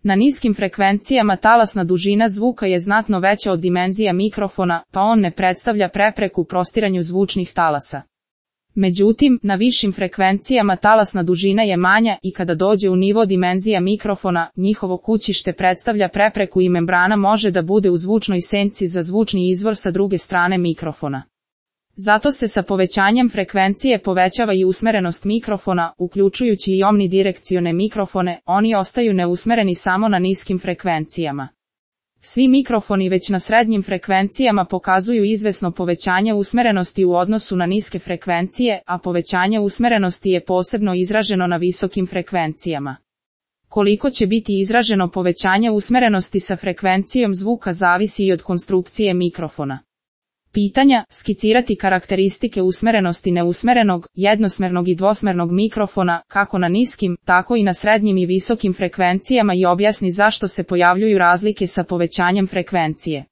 Na niskim frekvencijama talasna dužina zvuka je znatno veća od dimenzija mikrofona, pa on ne predstavlja prepreku prostiranju zvučnih talasa. Međutim, na višim frekvencijama talasna dužina je manja i kada dođe u nivo dimenzija mikrofona, njihovo kućište predstavlja prepreku i membrana može da bude u zvučnoj senci za zvučni izvor sa druge strane mikrofona. Zato se sa povećanjem frekvencije povećava i usmerenost mikrofona, uključujući i omnidirekcione mikrofone, oni ostaju neusmereni samo na niskim frekvencijama. Svi mikrofoni već na srednjim frekvencijama pokazuju izvesno povećanje usmerenosti u odnosu na niske frekvencije, a povećanje usmerenosti je posebno izraženo na visokim frekvencijama. Koliko će biti izraženo povećanje usmerenosti sa frekvencijom zvuka zavisi i od konstrukcije mikrofona. Pitanja: skicirati karakteristike usmerenosti neusmerenog, jednosmernog i dvosmernog mikrofona, kako na niskim, tako i na srednjim i visokim frekvencijama i objasni zašto se pojavljuju razlike sa povećanjem frekvencije.